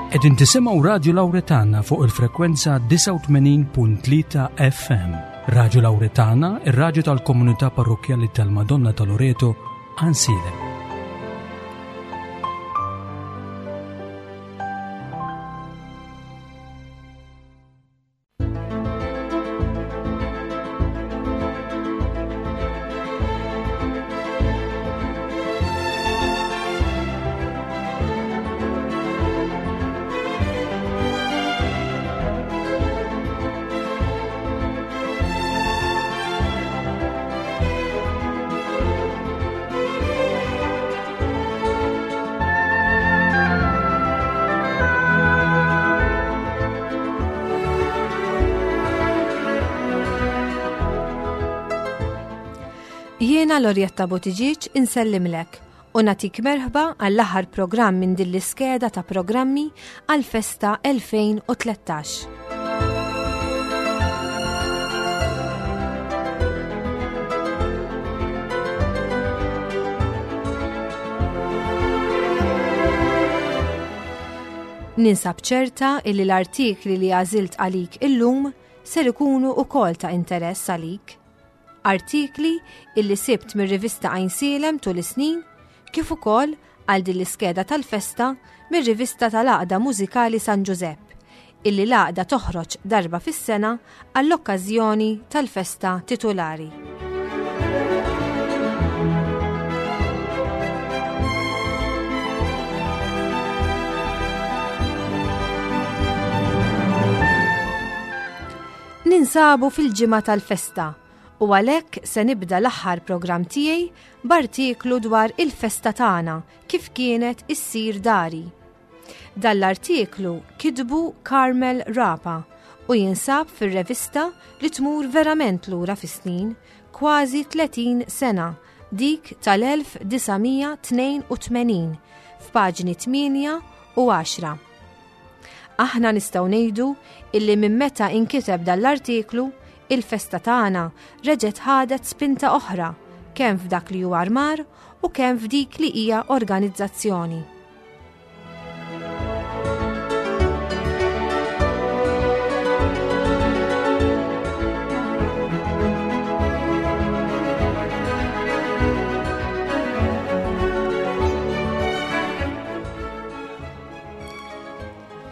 Qegħdin tisimgħu Radju Lawretana fuq il-frekwenza 89.3 FM. Radju Lawretana, ir-radju tal-komunità parrokkjali tal-Madonna ta' Loreto, Ansilem. Jiena Lorjetta Buttigieg insellimlek u natik merħba għall-aħħar programm minn din l-iskeda ta' programmi għall-festa 2013. Ninsab ċerta illi l-artikli li għażilt għalik illum ser ikunu ukoll ta' interess għalik. Artikli illi sibt mir-rivista Għajnsielem tul is-snin, kif ukoll għal din l-iskeda tal-festa mir-rivista tal-Għaqda Mużikali San Ġużepp, illi l-għaqda toħroġ darba fis-sena għall-okkażjoni tal-festa titulari. Ninsabu fil-ġimgħa tal-festa u għalhekk se nibda l-aħħar programm tiegħi b'artiklu dwar il-festa tagħna kif kienet issir dari. Dan l-artiklu kitbu Carmel Rapa u jinsab fir-revista li tmur verament lura fis-snin, kważi 30 sena, dik tal-1982, f'paġni 8 u 10. Aħna nistgħu ngħidu illi minn meta inkiteb dan l-artiklu, il-festa tagħna reġgħet ħadet spinta oħra kemm f'dak li huwa armar u kemm f'dik li hija organizzazzjoni.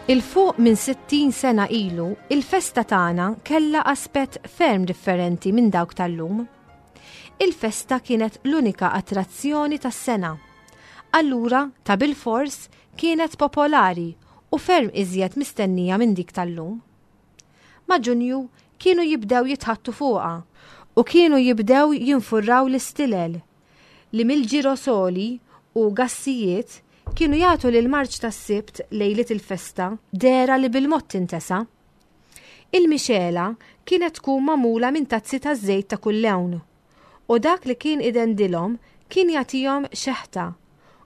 Il fuq minn 60 sena ilu, il-festa tagħna kellha aspett ferm differenti minn dawk tal-lum. Il-festa kienet l-unika attrazzjoni tas-sena. Allura, ta' bilfors, kienet popolari u ferm iżjed mistennija minn dik tal-lum. Ma' Ġunju kienu jibdew jitħattu fuqha u kienu jibdew jinfurraw l-istilel, li mill-ġirosoli u gassijiet kienu jagħtu lill-marċ tas-Sibt lejliet il-festa dehra li bil-mod tintesa. Il-mixegħla kienet tkun magħmula minn tazzi taż-żejt ta' kull lewn u dak li kien idendilhom kien jagħtihom xeħta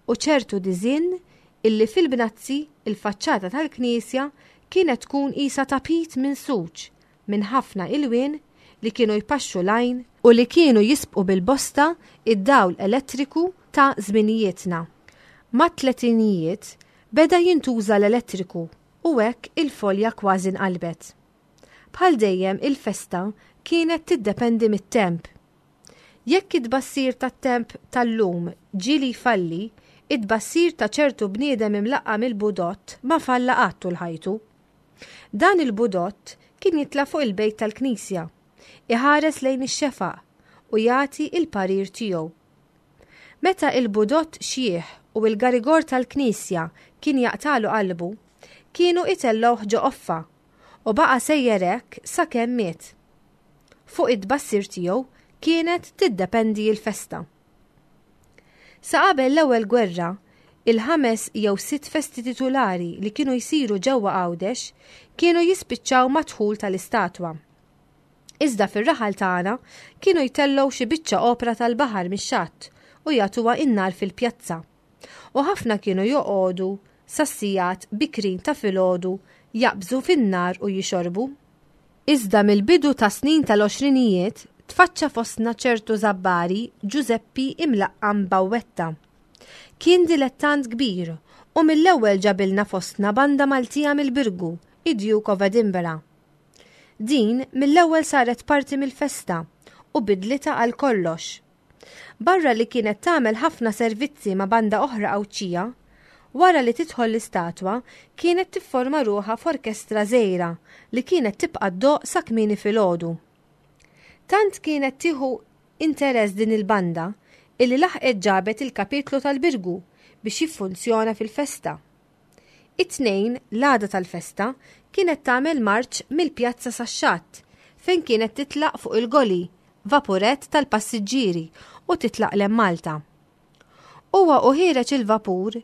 u ċertu diżinn illi fil-bnazzi il-faċċata tal-knisja kienet tkun qisha tapit minsuġ minn ħafna ilwien li kienu jpaxxu l-għajn u li kienu jisbqu bil-bosta id-dawl elettriku ta' żminijietna. Mat-tletinijiet beda jintuża l-elettriku u hekk il-folja kważi nqalbet. Bħal dejjem il-festa kienet tiddependi mit-temp. Jekk it-tbassir tat-temp tal-lum ġieli jfalli, it-tbassir ta' ċertu bniedem imlaqqam il-budott ma falla qatt tul ħajtu. Dan il-budott kien jitla' fuq il-bejt tal-knisja, iħares lejn ix-xefaq u jagħti il-parir tiegħu. Meta il-budott xjieħ u il-garigor tal-knisja kien jaqtagħlu qalbu, kienu itellgħuh ġo qoffa u baqa' sejjer hekk sakemm miet. Fuq it-tbassir tiegħu kienet tiddependi l-festa. Sa qabel l-ewwel gwerra, il-ħames jew sitt festi titulari li kienu jsiru ġewwa Għawdex kienu jispiċċaw mad-dħul tal-istatwa. Iżda fir-raħal tagħna kienu jtellgħu xi biċċa opra tal-baħar mix-xatt u jagħtuha n-nar fil-pjazza. U ħafna kienu joqogħdu sas-sigħat bikrin ta' filgħodu jaqbżu fin-nar u jixorbu. Iżda mill-bidu tas-snin tal-għoxrinijiet tfaċċa fostna ċertu Żabbari Ġużeppi imlaqqam Bawwetta. Kien dilettant kbir u U mill-ewwel ġabilna fostna banda Maltija mill-Birgu, id-Duke of Edinburgh. Din mill-ewwel saret parti mill-festa u bidlitha għal kollox. Barra li kienet tagħmel ħafna servizzi ma' banda oħra Għawdxija, wara li tidħol l-istatwa kienet tifforma ruħha f'orkestra żgħira li kienet tibqa' ddoqq sa kmieni filgħodu. Tant kienet tieħu interess din il-banda illi laħqet ġabet il-kapitlu tal-Birgu biex jiffunzjona fil-festa. It-Tnejn, l-għada tal-festa, kienet tagħmel marċ mill-pjazza sax-xatt, fejn kienet titlaq fuq il-goli, vapurett tal-passiġġieri, u titlaq 'l hemm Malta. Huwa u ħiereġ il-vapur,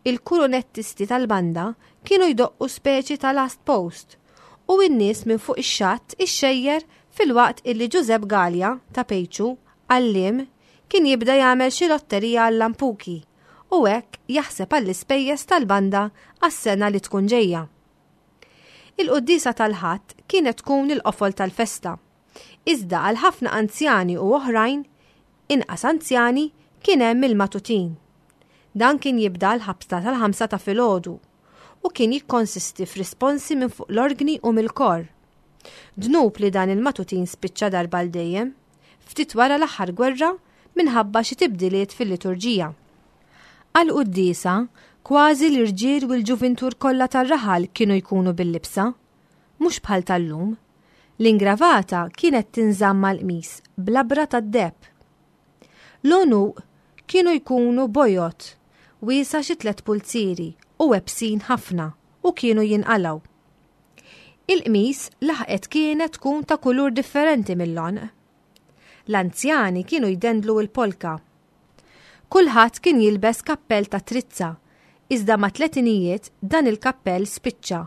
il-kurunettisti tal-banda kienu jdoqqu speċi ta' last post u n-nies minn fuq ix-xatt ixxejjer filwaqt illi Ġużepp Galea, ta' Pejċu, għalliem, kien jibda jagħmel xi lotterija għal-lampuki u hekk jaħseb għall-ispejjeż tal-banda għas-sena li tkun ġejja. Il-quddiesa tal-Ħadd kienet tkun il-qofol tal-festa. Iżda għal ħafna anzjani u oħrajn, inqas anzjani, kien hemm il-matutin. Dan kien jibda l-ħabta tal-ħamsa ta' filgħodu u kien jikkonsisti f'risponsi minn fuq l-orgni u mill-kor. Dnub li dan il-matutin spiċċa darba għal dejjem, ftit wara l-aħħar gwerra minħabba xi tibdiliet fil-liturġija. Għall-quddiesa, kważi l-irġiel u l-ġuvintur kollha tar-raħal kienu jkunu bil-libsa, mhux bħal tal-lum. L-ingravata kienet tinżamm mal-qmis b'labra tad-deheb. L-għonuq kienu jkunu bojod, wiesgħa xi tlett pulzieri u websin ħafna u kienu jinqalgħu. Il-qmis laħqet kienet tkun ta' kulur differenti mill-għonq. L-anzjani kienu jdendlu l-polka. Kulħadd kien jilbes kappell ta' trizza, iżda mat-tletinijiet dan il-kappell spiċċa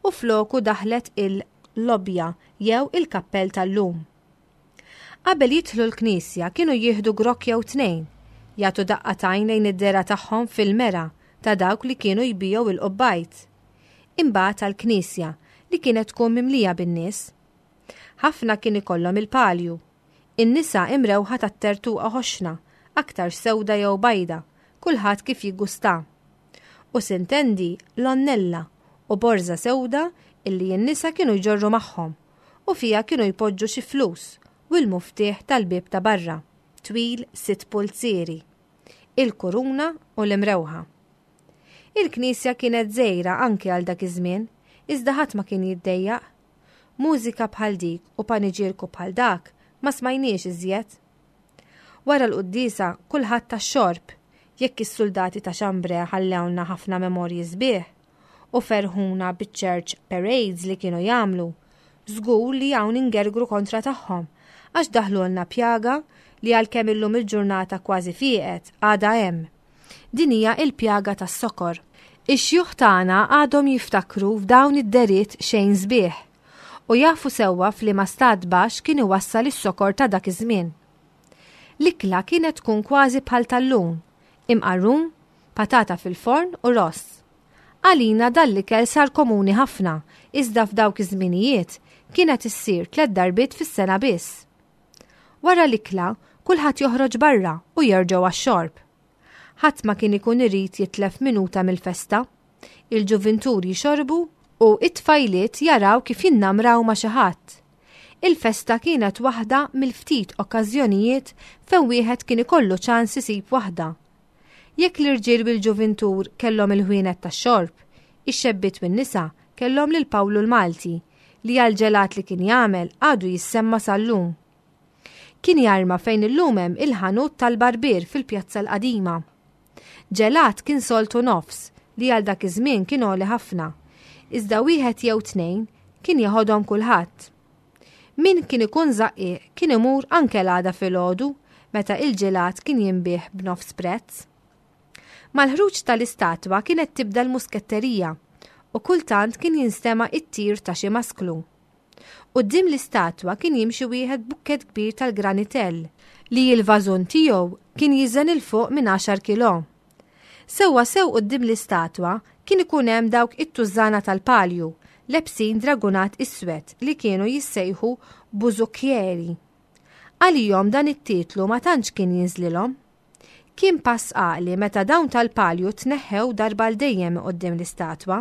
u floku daħlet il-lobja jew il-kappell tal-lum. Qabel jidħlu l-knisja kienu jieħdu grokk jew tnejn, jagħtu daqqa t'għajn lejn id-dehra tagħhom fil-mera ta' dawk li kienu jbigħu il-qubbajt. Imbagħad għall-knisja li kienet tkun mimlija bin-nies. Ħafna kien ikollhom il-palju. In-nisa imrewħa tat-tertuqa ħoxna, aktarx sewda jew bajda, kulħadd kif jiggusta. U sintendi l-onnella u borża sewda illi n-nisa kienu jġorru magħhom u fiha kienu jpoġġu xi flus u l-muftieħ tal-bieb ta' barra, twil sitt pulzieri, il-kuruna u l-imrewħa. Il-knisja kienet żgħira anke għal dak iż-żmien, iżda ħadd ma kien jiddejjaq. Mużika bħal dik u paniġierku bħal dak ma smajniex iżjed. Wara l-quddiesa kulħadd tax-xorb, jekk is-suldati ta' Xambre ħallewlna ħafna memorji sbieħ u ferħuna biċ-church parades li kienu jagħmlu, żgur li hawn ingergru kontra tagħhom għax daħlulna pjaga li għalkemm illum il-ġurnata kważi fieqet għadha hemm. Din hija il-pjaga tas-sokor. Ix-xjuħ tagħna għadhom jiftakru f'dawn id-deriet xejn sbieħ u jafu sewwa f'liema stat baxx kien iwassal is-sokor ta' dak iż-żmien. L-ikla kienet tkun kważi bħal tal-lum, imqarrun, patata fil-forn u ross. Għalina dan l-ikel sar komuni ħafna, iżda f'dawk iż-żminijiet kienet issir tlett darbiet fis-sena biss. Wara l-ikla, kulħadd joħroġ barra u jerġgħu għax-xorb. Ħadd ma kien ikun irid jitlef minuta mill-festa. Il-ġuvintur jixorbu u t-tfajliet jaraw kif jinnamraw ma' xi ħadd. Il-festa kienet waħda mill-ftit okkażjonijiet fejn wieħed kien ikollu ċans isib waħda. Jekk l-irġiel u l-ġuvintur kellhom il-ħwienet tax-xorb, ix-xebbiet u n-nisa kellhom lil Pawlu l-Malti, li għall-ġelat li kien jagħmel għadu jissemma sal-lum. Kien jarma fejn illum hemm il-ħanut tal-barbier fil-Pjazza l-Qadima. Ġelat kien soltu nofs li għal dak iż-żmien kien għoli ħafna, iżda wieħed jew tnejn kien jeħodhom kulħadd. Min kien ikun żaqqieq kien imur anke l-għada filgħodu meta il-ġelat kien jinbiegħ b'nofs prezz. Mal-ħruġ tal-istatwa kienet tibda l-musketterija u kultant kien jinstema' it-tir ta' xi masklu. Quddiem l-istatwa kien jimxi wieħed bukkett kbir tal-granitell li l-vażun tiegħu kien jiżen 'il fuq minn għaxar kilò. Sewwa sew quddiem l-istatwa kien ikun hemm dawk it-tużżana tal-palju lebsin dragunat iswed li kienu jissejħu bużukkieri. Għalihom dan it-titlu ma tantx kien jinżlilhom. Kien pass għaqli meta dawn tal-palju tneħħew darba għal dejjem quddiem l-istatwa.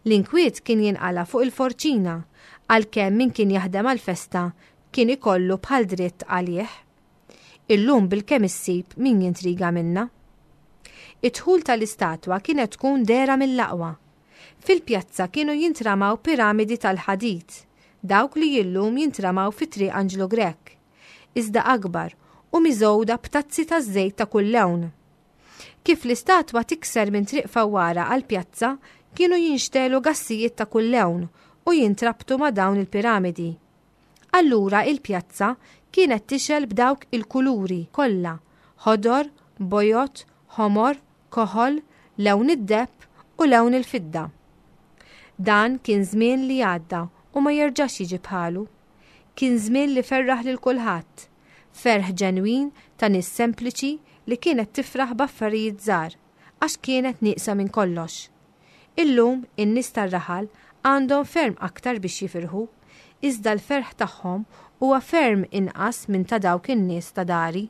L-inkwiet kien jinqala' fuq il-forċina, għalkemm min kien jaħdem għall-festa kien ikollu bħal dritt għalih. Illum bilkemm issib min jintriga minnha. Id-dħul tal-istatwa kienet tkun dehra mill-aqwa. Fil-pjazza kienu jintramaw piramidi tal-ħadid, dawk li illum jintramaw fi Triq Anġlu Grech, iżda akbar u miżgħuda b'tazzi taż-żejt ta' kull lewn. Kif l-istatwa tikser minn Triq Fawwara għall-pjazza kienu jinxtegħlu gassijiet ta' kull lewn u jintrabtu ma' dawn il-piramidi. Allura il-pjazza kienet tixgħel b'dawk il-kuluri kollha, ħodor, bojod, ħomor, koħol, lewn id-deheb u lewn il-fidda. Dan kien żmien li għadda u ma jerġax jiġi bħalu. Kien żmien li ferraħ lil kulħadd, ferħ ġenwin ta' nies sempliċi li kienet tifraħ b'affarijiet żgħar għax kienet nieqsa minn kollox. Illum in-nies tar-raħal għandhom ferm aktar biex jifirħu, iżda l-ferħ tagħhom huwa ferm inqas minn ta' dawk in-nies ta' dari.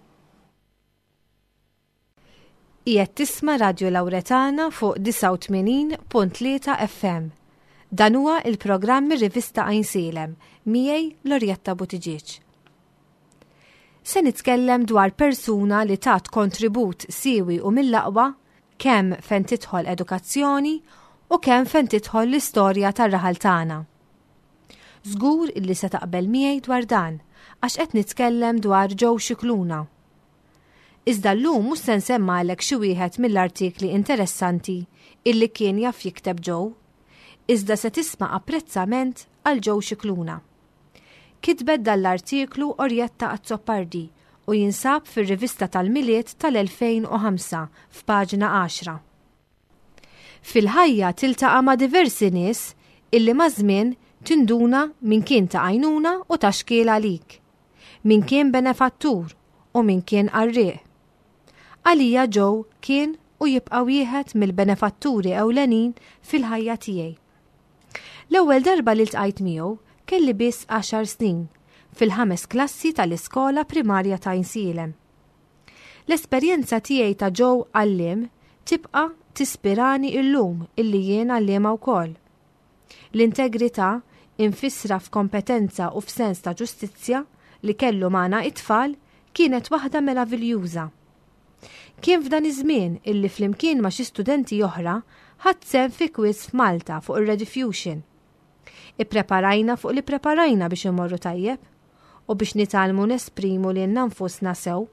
Qiegħed tisma' Radju Lawretana fuq 89.3 FM. Dan huwa il-programm mir-rivista Għajnsielem, miegħi Lorjetta Buttigieg. Se nitkellem dwar persuna li tat kontribut siewi u mill-aqwa kemm fejn tidħol edukazzjoni u kemm fejn tidħol l-istorja tar-raħal tagħna. Żgur illi se taqbel miegħi dwar dan għax qed nitkellem dwar Joe Scicluna. Iżda llum mhux se nsemmalek xi wieħed mill-artikli interessanti illi kien jaf jikteb Joe, iżda se tisma' apprezzament għal Joe Scicluna. Kitbet dan l-artiklu Orietta Azzopardi u jinsab fir-rivista tal-Milied tal-2005 f'paġna 10. Fil-ħajja tiltaqa' ma' diversi nies illi maż-żmien tinduna min kien ta' għajnuna u ta' xkiel għalik. Min kien benefattur u min kien qarrieq. Għalija Joe kien u jibqa' wieħed mill-benefatturi ewlenin fil-ħajja tiegħi. L-ewwel darba li ltqajt miegħu kelli biss għaxar snin, fil-ħames klassi tal-iskola primarja ta' Għajnsielem. L-esperjenza tiegħi ta' Joe għalliem tibqa' tispirani illum illi jien għalliema wkoll. L-integrità, imfissra f'kompetenza u f'sens ta' ġustizzja, li kellu magħna it-tfal kienet waħda meraviljuża. Kien f'dan iż-żmien illi flimkien ma' xi studenti oħra ħadt sehem fi quiz f'Malta fuq ir-Rediffusion. Ippreparajna fuq li ppreparajna biex immorru tajjeb u biex nitgħallmu nesprimu lilna nfusna sew.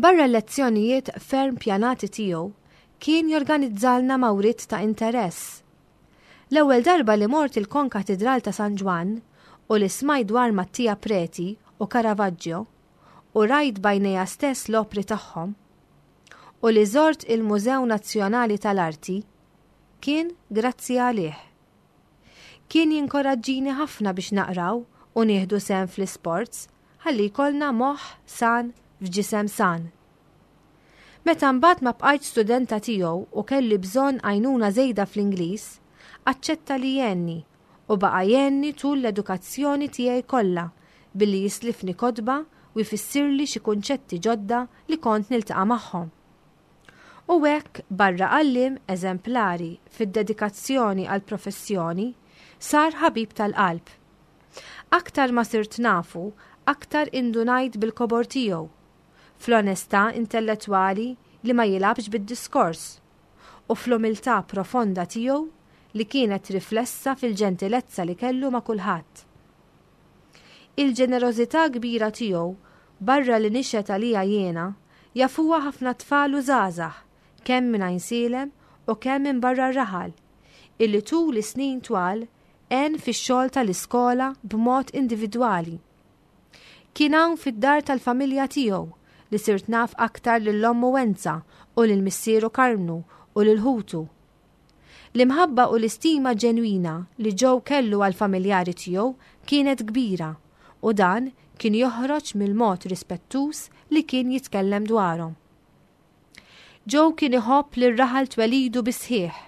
Barra l-lezzjonijiet ferm pjanati tiegħu, kien jorganizzalna mawriet ta' interess. L-ewwel darba li mort il-Konkatidral ta' San Ġwann u li smajt dwar Mattia Preti u Caravaggio u rajt b'għajnejja stess l-opri tagħhom, u li żort il-Mużew Nazzjonali tal-Arti, kien grazzi għalih. Kien jinkoraġġini ħafna biex naqraw u nieħdu sehem fl-isports ħalli jkollna moħħ san f'ġisem san. Meta mbagħad ma bqajtx studenta tiegħu u kelli bżonn għajnuna żejda fl-Ingliż, aċċetta li jgħinni u baqa' jgħinni tul l-edukazzjoni tiegħi kollha billi jislifni kotba u jfissirli xi kunċetti ġodda li kont niltaqa' magħhom. U hekk barra għalliem eżemplari fid-dedikazzjoni għall-professjoni, sar ħabib tal-qalb. Aktar ma sirt nafu, aktar indunajt bil-kobor tiegħu, fl-onestà intellettwali li ma jilgħabx bid-diskors, u fl-umiltà profonda tiegħu li kienet riflessa fil-ġentilezza li kellu ma' kulħadd. Il-ġenerożità kbira tiegħu, barra li nixhed għaliha jiena, jafuha ħafna tfal u żgħażagħ, kemm minn Għajnsielem u kemm minn barra r-raħal, illi tul is-snin twal għen fix-xogħol tal-iskola b'mod individwali. Kien hawn fid-dar tal-familja tiegħu li sirt naf aktar lil ommu Wenza u lil missieru Karmnu u lil ħutu. L-imħabba u l-istima ġenwina li Joe kellu għall-familjari tiegħu kienet kbira u dan kien joħroġ mill-mod rispettuż li kien jitkellem dwarhom. Joe kien iħobb lir-raħal twelidu bis-sħiħ.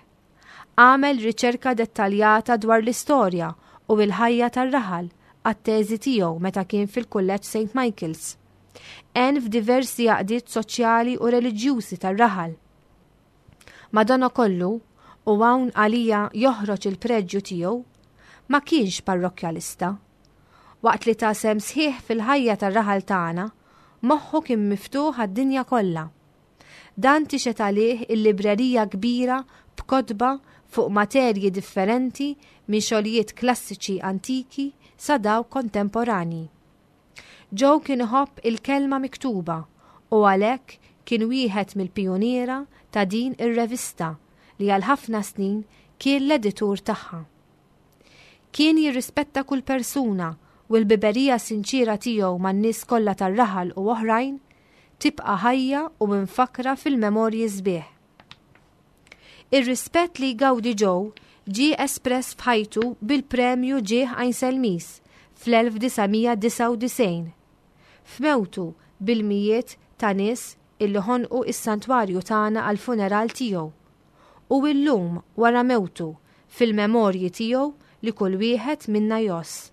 Għamel riċerka dettaljata dwar l-istorja u l-ħajja tar-raħal għat-teżi tiegħu meta kien fil-Kulleġġ St. Michael's. Għen f'diversi għaqdiet soċjali u reliġjużi tar-raħal. Madanakollu, u hawn għalija joħroġ il-preġju tiegħu, ma kienx parrokkjalista. Waqt li ta sehem sħiħ fil-ħajja tar-raħal tagħna, moħħu kien miftuħ għad-dinja kollha. Dan tixhed għalih il-librerija kbira b'kotba fuq materji differenti minn xogħlijiet klassiċi antiki sa dawk kontemporanji. Joe kien iħobb il-kelma miktuba u għalhekk kien wieħed mill-pijuniera ta' din ir-revista li għal ħafna snin kien l-editur tagħha. Kien jirrispetta kull persuna u l-biberija sinċiera tiegħu man-nies kollha tar-raħal u oħrajn tibqa' ħajja u mfakkra fil-memorji sbieħ. Ir-rispett li jgawdi Joe ġie espress f'ħajtu bil-Premju Ġieħ Għajnselmiż fl-1999. F'mewtu bil-mijiet ta' nies illi ħonqu s-santwarju tagħna għall-funeral tiegħu. U illum wara mewtu fil-memorji tiegħu li kull wieħed minna jgħożż.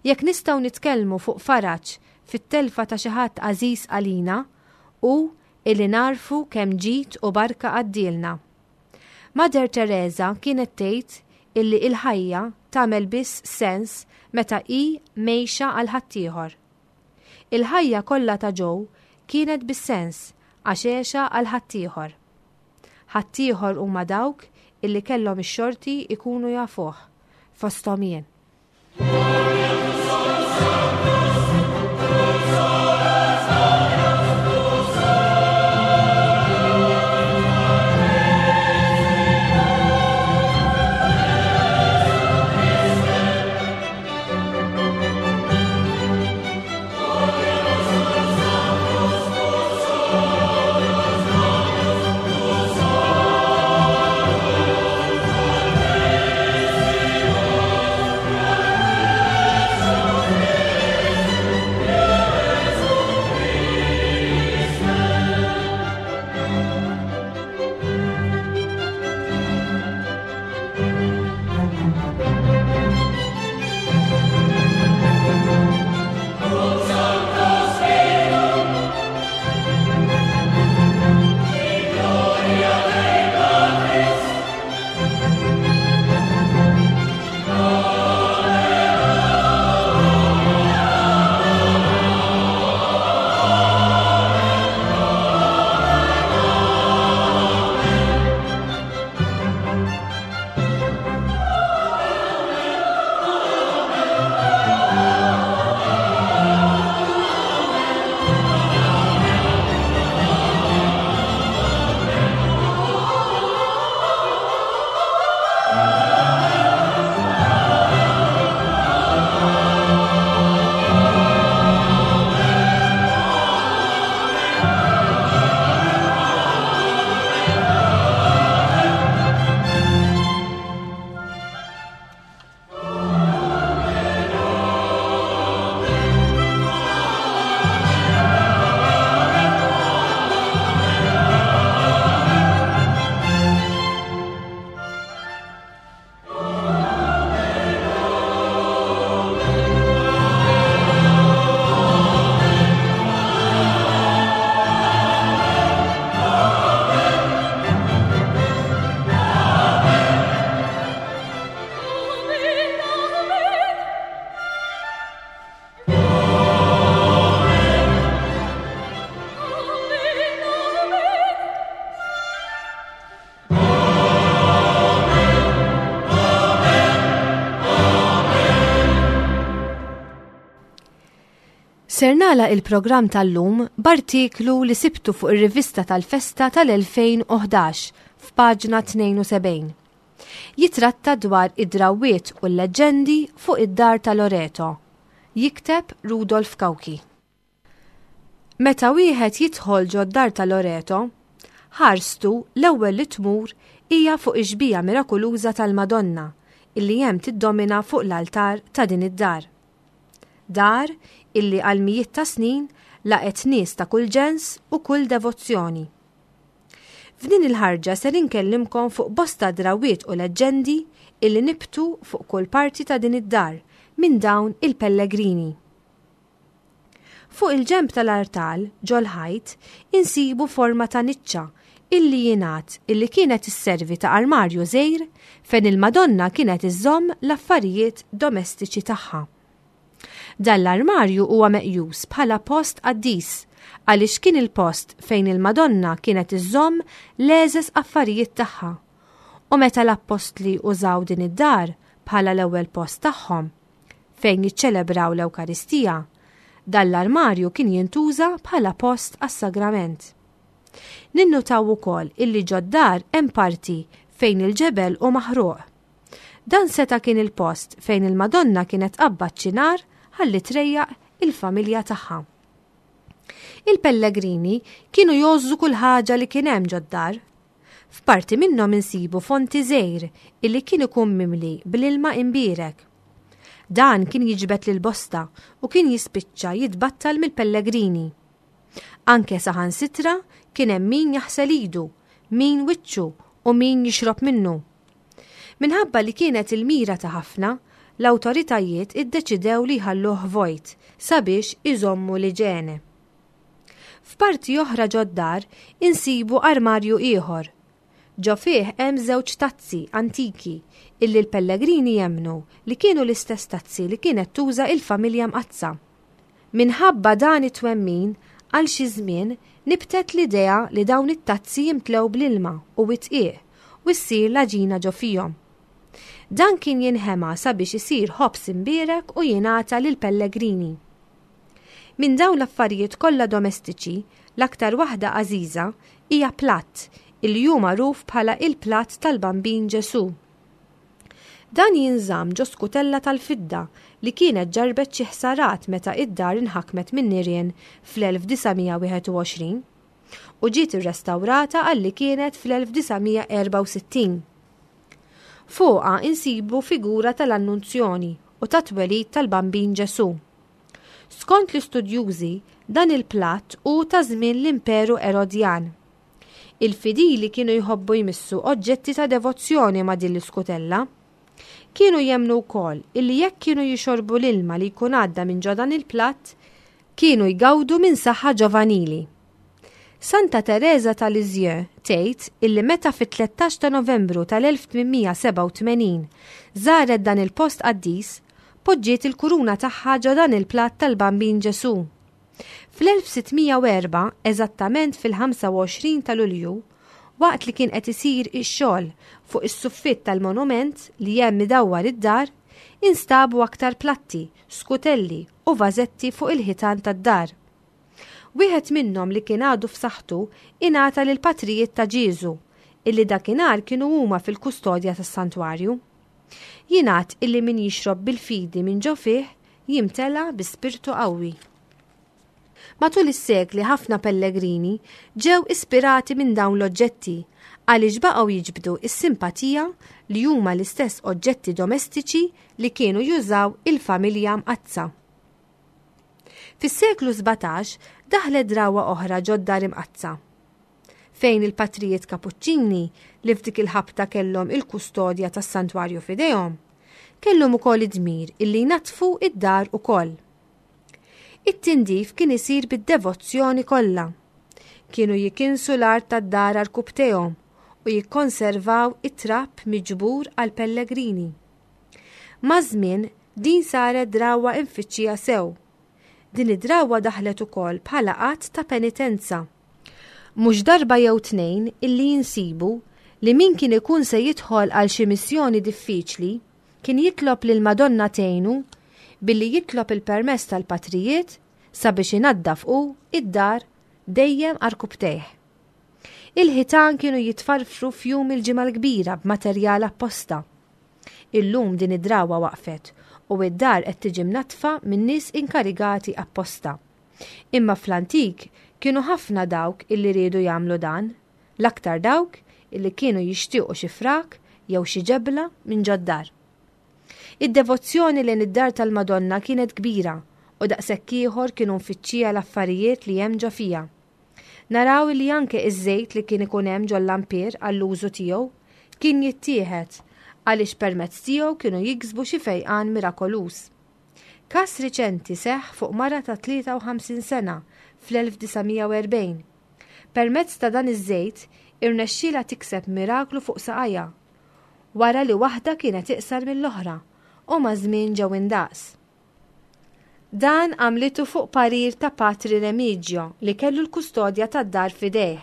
Jekk nistgħu nitkellmu fuq faraġ fit-telfa ta' xi ħadd għażiż għalina, hu illi nagħrfu kemm ġid u barka għaddielna. Mother Teresa kienet tgħid illi il-ħajja tagħmel biss sens meta hi mgħejxa għal ħaddieħor. Il-ħajja kollha ta' Joe kienet bis-sens għax għexha għal ħaddieħor. Ħaddieħor huma dawk illi kellhom ix-xorti jkunu jafuh, fosthom jien. Ser nagħlaq il-programm tal-lum b'artiklu li sibtu fuq ir-rivista tal-festa tal-2011 f'paġna 72. Jitratta dwar id-drawwiet u l-leġġendi fuq id-dar ta' Loreto. Jikteb Rudolf Cauchi. Meta wieħed jidħol ġod-dar ta' Loreto, ħarstu l-ewwel li tmur hija fuq ix-xbieha mirakuluża tal-Madonna illi hemm tiddomina fuq l-altar ta' din id-dar. Dar illi għal mijiet ta' snin laqgħet nies ta' kull ġens u kull devozzjoni. F'din il-ħarġa ser inkellimkom fuq bosta drawwiet u leġġendi illi nibtu fuq kull parti ta' din id-dar minn dawn il-pellegrini. Fuq il-ġenb tal-artal, ġol-ħajt, insibu forma ta' niċċa illi jingħad illi kienet isservi ta' armarju żgħir fejn il-Madonna kienet iżżomm l-affarijiet domestiċi tagħha. Dan l-armarju huwa meqjus bħala post qaddis għaliex kien il-post fejn il-Madonna kienet iżżomm l-għeżeż affarijiet tagħha. U meta l-appostli użaw din id-dar bħala l-ewwel post tagħhom fejn jiċċelebraw l-Ewkaristija, dan l-armarju kien jintuża bħala post għas-sagrament. Ninnutaw ukoll illi ġod-dar hemm parti fejn il-ġebel hu maħruq. Dan seta' kien il-post fejn il-Madonna kienet tqabbad xi nar ħalli trejjaq il-familja tagħha. Il-pellegrini kienu jgħożżu kull ħaġa li kien hemm ġod-dar. F'parti minnhom insibu fonti żgħir illi kien ikun mimli bl-ilma imbierek. Dan kien jiġbed lil bosta u kien jispiċċa jitbattal mill-pellegrini. Anke saħansitra kien hemm min jaħsel idu, min wiċċu u min jixrob minnu. Minħabba li kienet il-mira ta' ħafna, l-awtoritajiet iddeċidew li jħalluh vojt sabiex iżommu l-iġene. F'parti oħra ġod-dar insibu armarju ieħor. Ġo fih hemm żewġ tazzi antiki illi l-pellegrini jemmnu li kienu l-istess tazzi li kienet tuża il-familja Mqaddsa. Minħabba dan it-twemmin, għal xi żmien nibtet l-idea li dawn it-tazzi jimtlew bl-ilma u d-dqiq u ssir l-għaġina ġo fihom. Dan kien jinħema sabiex isir ħobż imbierek u jingħata lill-pellegrini. Minn dawn l-affarijiet kollha domestiċi, l-aktar waħda għażiża hija platt illi hu magħruf bħala il-platt tal-Bambin Ġesù. Dan jinżamm ġo skutella tal-fidda li kienet ġarrbet xi ħsarat meta id-dar inħakmet min-nirien fl-1921 u ġiet irrestawrata għal li kienet fl-1964. Fuqha insibu figura tal-Annunzjoni u tat-twelid tal-Bambin Ġesù. Skont l-istudjużi, dan il-platt hu ta' żmien l-Imperu Erodjan. Il-fidili kienu jħobbu jmissu oġġetti ta' devozzjoni ma' din l-iskutella. Kienu jemmnu wkoll illi jekk kienu jixorbu l-ilma li jkun għadda minn ġo dan il-platt, kienu jgawdu minn saħħa ġovanili. Santa Tereża ta' Lisieux tgħid illi meta fit-13 ta' Novembru tal-1887 żaret dan il-post qaddis, poġġiet il-kuruna tagħha ġo dan il-platt tal-Bambin Ġesù. Fl-1604, eżattament fil-25 ta' Lulju, waqt li kien qed isir ix-xogħol fuq is-suffitt tal-monument li hemm idawwar id-dar, instabu aktar platti, skutelli u vażetti fuq il-ħitan tad-dar. Wieħed minnhom li kien għadu f'saħħtu ingħata lill-patrijiet ta' Ġieżu, illi dakinhar kienu huma fil-kustodja tas-santwarju. Jingħad illi min jixrob bil-fidi minn ġo fih jimtela bi spirtu qawwi. Matul is-sekli ħafna pellegrini ġew ispirati minn dawn l-oġġetti għaliex baqgħu jiġbdu s-simpatija li huma l-istess oġġetti domestiċi li kienu jużaw il-familja mqaddsa. Fis-seklu 17 daħlet drawwa oħra ġod-dar imqaddsa. Fejn il-patrijiet Kapuċċini li f'dik il-ħabta kellhom il-kustodja tas-santwarju f'idejhom, kellhom ukoll id-dmir illi jnaddfu id-dar ukoll. It-tindif kien isir bid-devozzjoni kollha. Kienu jikinsu l-art tad-dar għarkupptejhom u jikkonservaw it-trab miġbur għall-pellegrini. Maż-żmien din saret drawwa imfittxija sew. Din id-drawwa daħlet ukoll bħala att ta' penitenza. Mhux darba jew tnejn illi insibu li min kien ikun se jidħol għal xi missjoni diffiċli kien jitlob lill-Madonna tgħinu billi jitlob il-permess tal-patrijiet sabiex inaddaf hu id-dar dejjem għarkupptejh. Il-ħitan kienu jitfarfru f'jum il-Ġimgħa l-Kbira b'materjal apposta. Illum din id-drawwa waqfet u id-dar qed tiġi mnaddfa minn nies inkarigati apposta. Imma fl-antik kienu ħafna dawk illi riedu jagħmlu dan, l-aktar dawk illi kienu jixtiequ xi frak jew xi ġebla minn ġod-dar. Id-devozzjoni lejn id-dar tal-Madonna kienet kbira u daqshekk ieħor kienu mfittxija l-affarijiet li hemm ġo fiha. Naraw illi anke iż-żejt li kien ikun hemm ġol-lampier għall-użu tiegħu kien jittieħed għaliex permezz tiegħu kienu jiksbu xi fejqan mirakoluż. Każ riċenti seħħ fuq mara ta' 53 sena fl-1940. Permezz ta' dan iż-żejt irnexxielha tikseb miraklu fuq saqajha, wara li waħda kienet iqsar mill-oħra u maż-żmien ġew indaqs. Dan għamlitu fuq parir ta' Patri Remigio li kellu l-kustodja tad-dar f'idejh,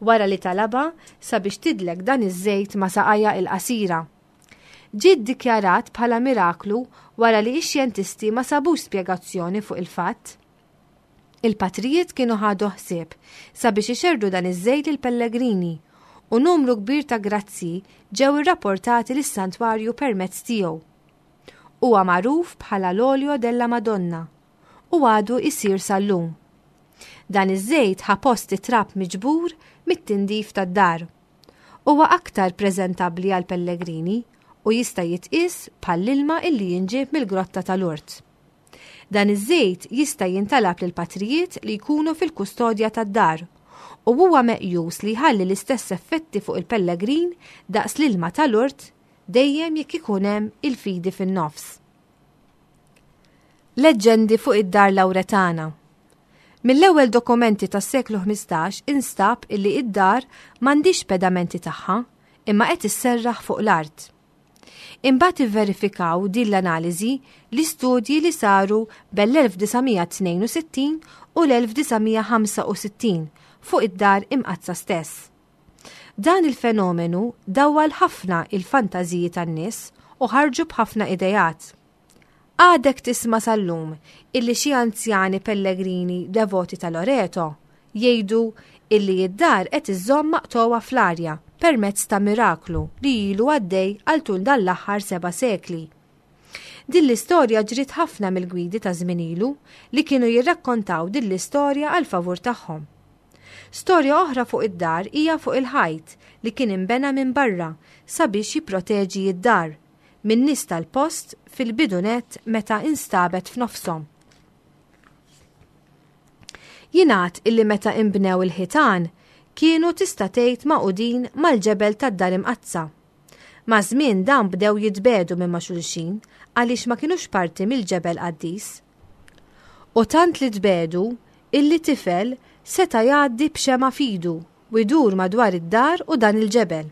wara li talabha sabiex tidlek dan iż-żejt ma' saqajha il-qasira. Ġie ddikjarat bħala miraklu wara li x-xjentisti ma sabux spjegazzjoni fuq il-fatt. Il-patrijiet kienu ħadu ħsieb sabiex ixerrdu dan iż-żejt lill-pellegrini u numru kbir ta' grazzji ġew irrapportati lis-santwarju permezz tiegħu. Huwa magħruf bħala l-Olio della Madonna u għadu jsir sal-lum. Dan iż-żejt ħa post it-trab miġbur mit-tindif tad-dar. Huwa aktar preżentabbli għall-pellegrini u jista' jitqies bħall-ilma illi jinġieb mill-Grotta ta' Lourdes. Dan iż-żejt jista' jintalab lill-patrijiet li jkunu fil-kustodja tad-dar u huwa meqjus li jħalli l-istess effetti fuq il-pellegrin daqs l-ilma ta' Lourdes dejjem jekk ikun hemm il-fidi fin-nofs. Leġġendi fuq id-Dar Lawretana Mill-ewwel dokumenti tas-seklu 15 instab illi id-dar m'għandhiex pedamenti tagħha imma qed isserraħ fuq l-art. Imbagħad ivverifikaw din l-analiżi l-istudji li saru bel-1962 u l-1965 fuq id-dar imqaddsa stess. Dan il-fenomenu dawwal ħafna il-fantażiji tan-nies u ħarġu b'ħafna ideat. Għadek tisma' sal-lum illi xi anzjani pellegrini devoti ta' Loreto jgħidu illi id-dar qed iżżomm maqtugħa fl-arja permezz ta' miraklu li ilu għaddej għal tul dan l-aħħar seba' sekli. Din l-istorja ġriet ħafna mill-gwidi ta' żmien ilu li kienu jirrakkontaw din l-istorja għall-favur tagħhom. Storja oħra fuq id-dar hija fuq il-ħajt li kien inbena minn barra sabiex jipproteġi d-dar min-nies tal-post fil-bidu nett meta instabet f'nofshom. Jingħad illi meta inbnew il-ħitan kienu tista' tgħid magħqudin mal-ġebel tad-Dar Imqaddsa. Maż-żmien dawn bdew jitbiegħdu minn ma' xulxin għaliex ma kinux parti mill-ġebel qaddis. U tant li tbiegħdu illi tifel seta' jgħaddi b'xemgħa f'idu u jdur madwar id-dar u dan il-ġebel.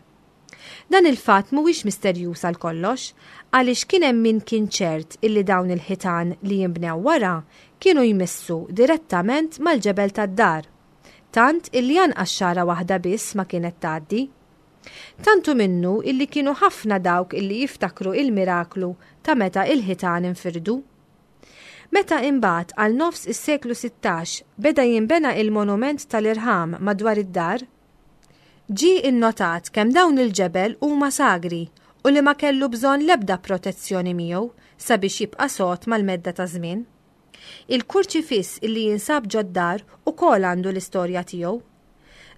Dan il-fatt mhuwiex misterjuż għal kollox, għaliex kien hemm min kien ċert illi dawn il-ħitan li jinbnew wara kienu jmissu direttament mal-ġebel tad-dar, tant illi anqas xagħra waħda biss ma kienet tgħaddi. Tant hu minnu illi kienu ħafna dawk illi jiftakru il-miraklu ta' meta il-ħitan infirdu. Meta imbagħad għal nofs is-seklu 16 beda jinbena il-monument tal-irħam madwar id-dar, ġie innotat kemm dawn il-ġebel huma sagri u li ma kellu bżonn l-ebda protezzjoni miegħu sabiex jibqa' sod mal-medda taż-żmien. Il-kurċifiss illi jinsab ġod-dar ukoll għandu l-istorja tiegħu.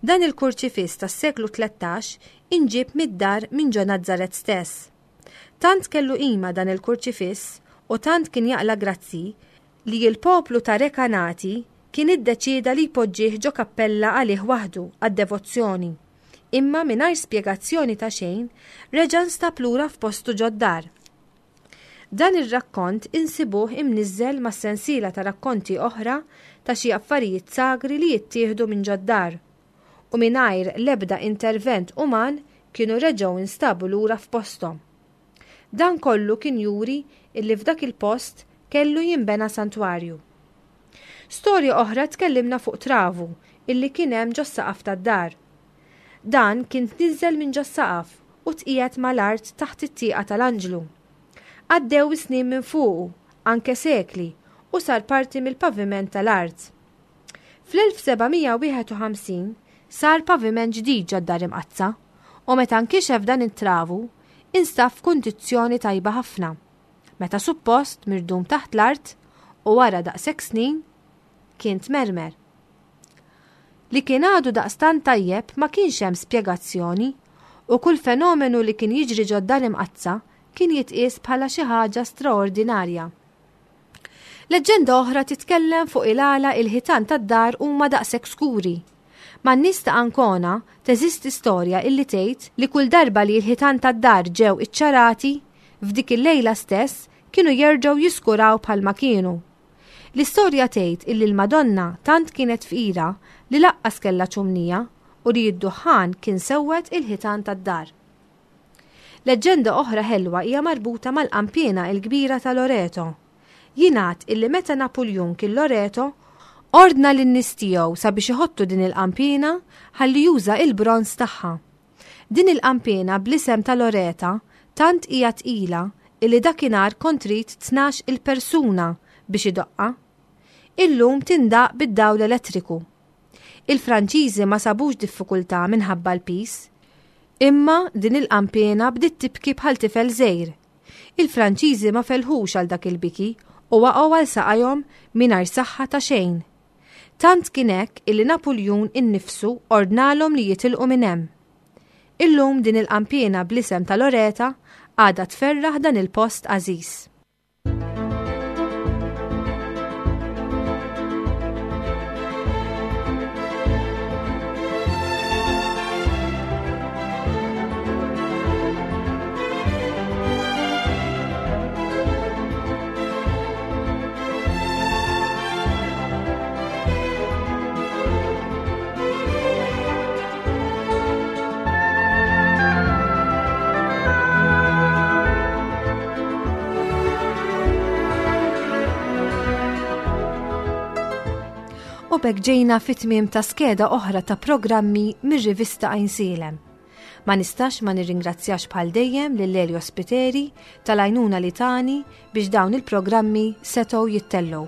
Dan il-kurċifiss tas-seklu 13 inġieb mid-dar minn ġo Nazzaret stess. Tant kellu qima dan il-kurċifiss u tant kien jaqla' grazzji li l-poplu ta' Recanati kien iddeċieda li jpoġġih ġo kappella għalih waħdu għad-devozzjoni. Imma mingħajr spjegazzjoni ta' xejn reġa' nstab lura f'postu ġod-dar. Dan ir-rakkont insibuh imniżżel ma' sensiela ta' rakkonti oħra ta' xi affarijiet sagri li jittieħdu minn ġod-dar. u mingħajr l-ebda intervent uman kienu reġgħu instabu lura f'posthom. Dan kollu kien juri illi f'dak il-post kellu jinbena santwarju. Storja oħra tkellimna fuq travu illi kien hemm ġos-saqaf tad-dar. Dan kien tniżżel minn ġos-saqaf u tqiegħed mal-art taħt it-tieqa tal-anġlu. Għaddew is-snin minn fuqu, anke sekli, u sar parti mill-paviment tal-art. Fl-1751 sar paviment ġdid ġod-Dar Imqaddsa u meta nkixef dan it-travu, instab f'kundizzjoni tajba ħafna, meta suppost mirdum taħt l-art u wara daqshekk snin kien tmermer. Li kien għadu daqstant tajjeb ma kienx hemm spjegazzjoni u kull fenomenu li kien jiġri ġod-Dar Imqaddsa kien jitqies bħala xi ħaġa straordinarja. Leġġenda oħra titkellem fuq il-għala il-ħitan tad-dar huma daqshekk skuri. Man-nies ta' Ancona teżisti storja illi tgħid li kull darba li l-ħitan tad-dar ġew iċċarati, f'dik il-lejla stess kienu jerġgħu jiskuraw bħalma kienu. L-istorja tgħid illi l-Madonna tant kienet fqira li laqqas kellha ċumnija u li d-duħħan kien sewwed il-ħitan tad-dar. Leġġenda oħra ħelwa hija marbuta mal-qanpiena l-kbira ta' Loreto. Jingħad illi meta Napuljun kien Loreto, ordna lin-nies tiegħu sabiex iħottu din il-qanpiena ħalli juża il-bronż tagħha. Din il-qanpiena bl-isem ta' Loreta tant hija tqila illi dakinhar kont trid 12 il persuna biex idoqqha. Illum tindaqq bid-dawl elettriku. Il-Franċiżi ma sabux diffikultà minħabba l-piż. Imma din il-qanpiena bdiet tibki bħal tifel żgħir. Il-Franċiżi ma felħux għal dak il-biki u waqgħu għal saqajhom mingħajr saħħa ta' xejn. Tant kien hekk illi Napuljun innifsu ordnalhom li jitilqu minn hemm. Illum din il-qanpiena bl-isem ta' Loreta għadha tferraħ dan il-post għażiż. U b'hekk ġejna fit-tmiem ta' skeda oħra ta' programmi mir-rivista Għajnsielem. Ma nistax ma nirringrazzjax bħal dejjem lil Elio Spiteri tal-għajnuna li tani biex dawn il-programmi setgħu jittellgħu.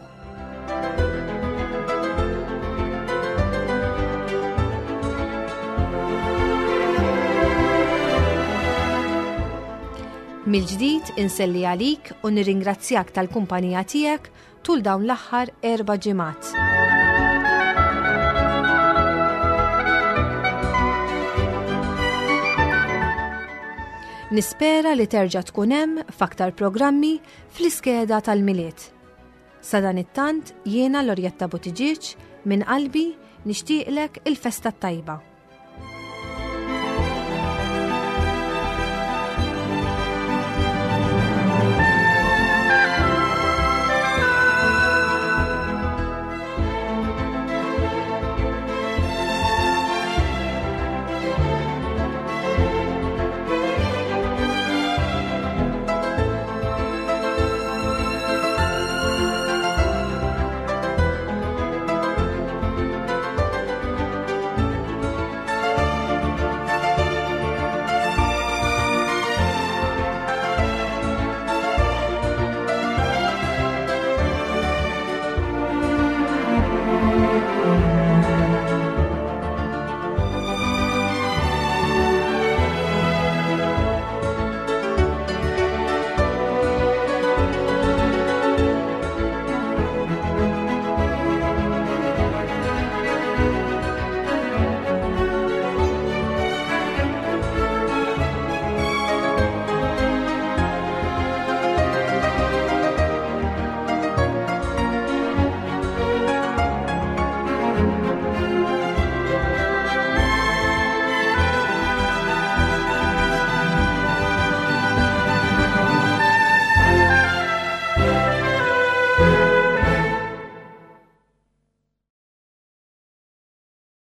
Mill-ġdid inselli għalik u nirringrazzjak tal-kumpanija tiegħek tul dawn l-aħħar erba' ġimgħat. Nispera li terġa' tkun hemm f'aktar programmi fl-iskeda tal-Milied. Sadanittant jiena Lorjetta Buttigieg minn qalbi nixtieqlek il-festa t-tajba.